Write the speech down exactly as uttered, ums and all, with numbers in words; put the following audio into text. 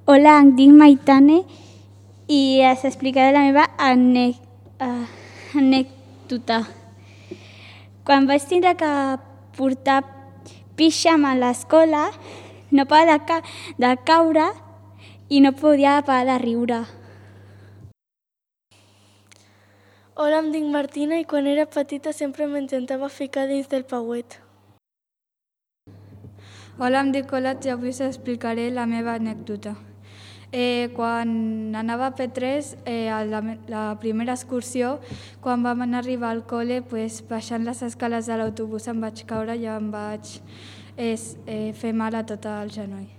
Hola, em dic Maitane i us explicaré la meva anè- uh, anècdota. Quan vaig tindre que portar píxam a l'escola, no parava de, ca de caure i no podia parar de riure. Hola, em dic Martina i quan era petita sempre m'intentava ficar dins del pauet. Hola, em dic Olat i avui us explicaré la meva anècdota. Eh, quan anava a P tres, eh, a la, la primera excursió, quan vam anar a arribar al col·le, pues, baixant les escales de l'autobús em vaig caure i em vaig eh, eh, fer mal a tot el genoll.